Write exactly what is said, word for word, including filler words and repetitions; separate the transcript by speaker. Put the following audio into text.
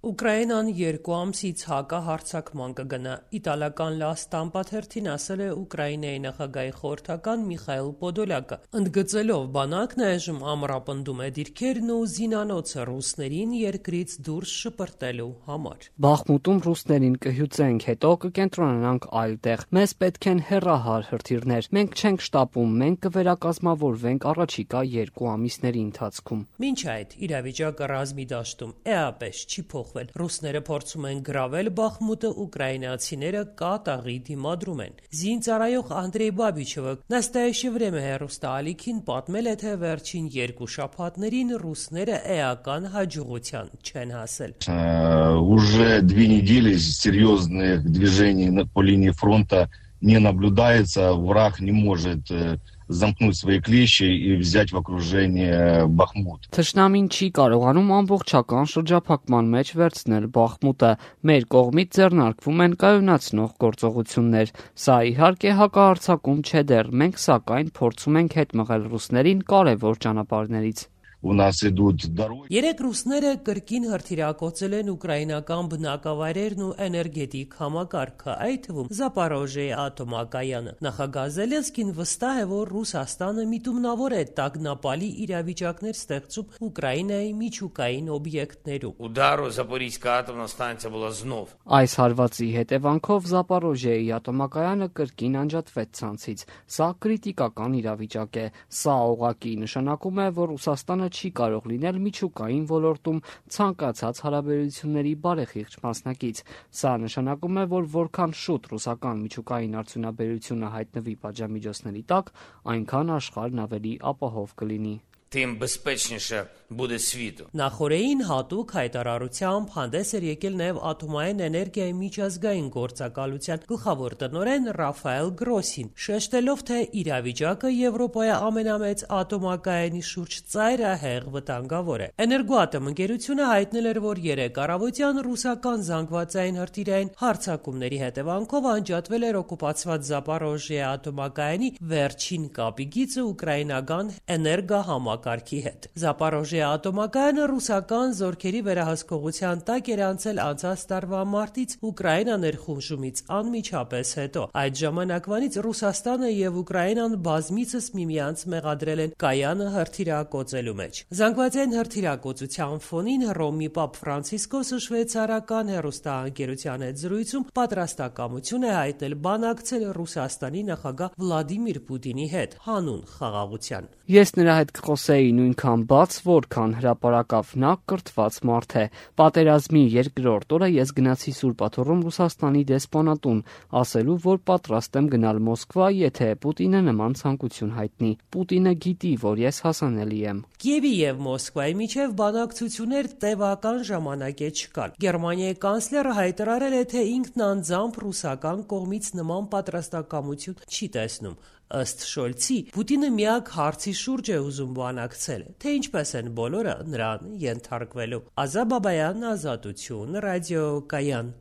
Speaker 1: Ուկրաինան երկու ամսից հակահարձակման կգնա։ Իտալական «Լա Ստամպա» թերթին ասել է Ուկրաինայի նախագահի խորհրդական Միխայիլ Պոդոլյակը, ընդգծելով բանակն այժմ ամրապնդում է դիրքերն ու զինանոցը ռուսներին երկրից դուրս շպրտելու համար։
Speaker 2: Բախմուտում ռուսներին կհյուծենք, հետո կկենտրոնանանք այլ տեղ։ Մեզ պետք են հեռահար հրթիռներ։ Մենք չենք շտապում, մենք կվերակազմավորվենք առաջիկա երկու ամիսների ընթացքում։
Speaker 1: Մինչ այդ իրավիճակը ռազմի դաշտում էապես չի փոխվել։ Ռուսները փորձում են գրավել Բախմուտը, ուկրաինացիները կատաղի դիմադրում են։ Զինծառայող Անդրեյ Բաբիչևը «Настоящее время» հեռուստաալիքին պատմել է, թե վերջին երկու շաբաթներին ռուսները էական հաջողության չեն հասել։
Speaker 3: Уже две недели серьезных движений по линии фронта не наблюдается. Враг не может замкнуть свои клещи и взять в окружение Бахмут.
Speaker 2: Թշնամին չի կարողանում ամբողջական շրջափակման մեջ վերցնել Բախմուտը։ Մեր կողմից ձեռնարկվում են կայունացնող գործողություններ։ Սա իհարկե հակահարձակում չէ դեռ, մենք սակայն փորձում ենք հետ մղել ռուսներին կարևոր ճանապարհներից։
Speaker 3: У нас идут дороги.
Speaker 1: Երեք ռուսները կրկին հրթիռակոծել են ուկրաինական բնակավայրերն ու էներգետիկ համակարգը, այդ թվում Զապորոժիեի ատոմակայանը։ Նախագահ Զելենսկին վստահ է, որ Ռուսաստանը միտումնավոր է տագնապալի իրավիճակներ ստեղծում Ուկրաինայի միջուկային օբյեկտներում։
Speaker 4: Удару Запорізька атомна станція була знов.
Speaker 2: Այս հարվածի հետևանքով Զապորոժիեի ատոմակայանը կրկին անջատվեց ցանցից։ Սա կրիտիկական իրավիճակ է։ Սա ուղղակի նշանակում է, որ Ռուսաստանը չի կարող լինել միջուկային ոլորտում ցանկացած հարաբերությունների բարեխիղճ մասնակից։ Սա նշանակում է, որ որքան շուտ ռուսական միջուկային արդյունաբերությունը հայտնվի պատժամիջոցների տակ, այնքան աշխարհն ավելի ապահով կլինի։
Speaker 4: Тим безпечніше буде світу.
Speaker 1: Նախորդին հատուկ հայտարարությամբ հանդես էր եկել նաև ատոմային էներգիայի միջազգային գործակալության գլխավոր տնօրեն Ռաֆայել Գրոսին, շեշտելով, թե իրավիճակը Եվրոպայի ամենամեծ ատոմակայանի շուրջ ծայրահեղ վտանգավոր է։ Էներգոատոմ ընկերությունը հայտնել էր, որ երեկ առավոտյան ռուսական զանգվածային հրթիռային հարձակումների հետևանքով անջատվել էր օկուպացված Զապորոժիեի ատոմակայանի վերջին կապի գիծը ուկրաինական էներգահամակարգի հետ։ Զապորոժիեի ատոմակայանը ռուսական զորքերի վերահսկողության տակ էր անցել անցած տարվա մարտից Ուկրաինա ներխուժումից անմիջապես հետո։ Այդ ժամանակվանից Ռուսաստանը եւ Ուկրաինան բազմիցս միմյանց մեղադրել են կայանը հրթիռակոծելու մեջ։ Զանգվածային հրթիռակոծության ֆոնին Հռոմի Պապ Ֆրանցիսկոսը շվեյցարական հեռուստաընկերության հետ զրույցում պատրաստակամություն է հայտնել բանակցել Ռուսաստանի նախագահ Վլադիմիր Պուտինի հետ հանուն խաղաղության։
Speaker 2: Ես նրա հետ կխոսեի նույնքան բաց, որքան հրապարակավ, նա կրթված մարդ է։ Պատերազմի երկրորդ օրը ես գնացի Սուրբ Աթոռում Ռուսաստանի դեսպանատուն, ասելու, որ պատրաստ եմ գնալ Մոսկվա, եթե Պուտինը նման ցանկություն հայտնի։ Պուտինը գիտի, որ ես հասանելի եմ։
Speaker 1: Կիևի եւ Մոսկվայի միջև բանակցություններ տևական ժամանակ է չկան։ Գերմանիայի կանցլերը հայտարարել է, թե ինքն անձամբ ռուսական կողմից նման պատրաստակամություն չի տեսնում։ Ըստ Շոլցի, Պուտինը միակ հարցի շուրջ է ուզում բանակցել, թե ինչպես են բոլորը նրան ենթարկվելու։ Ազա Բաբայան, Ազատություն, ռադիոկայան։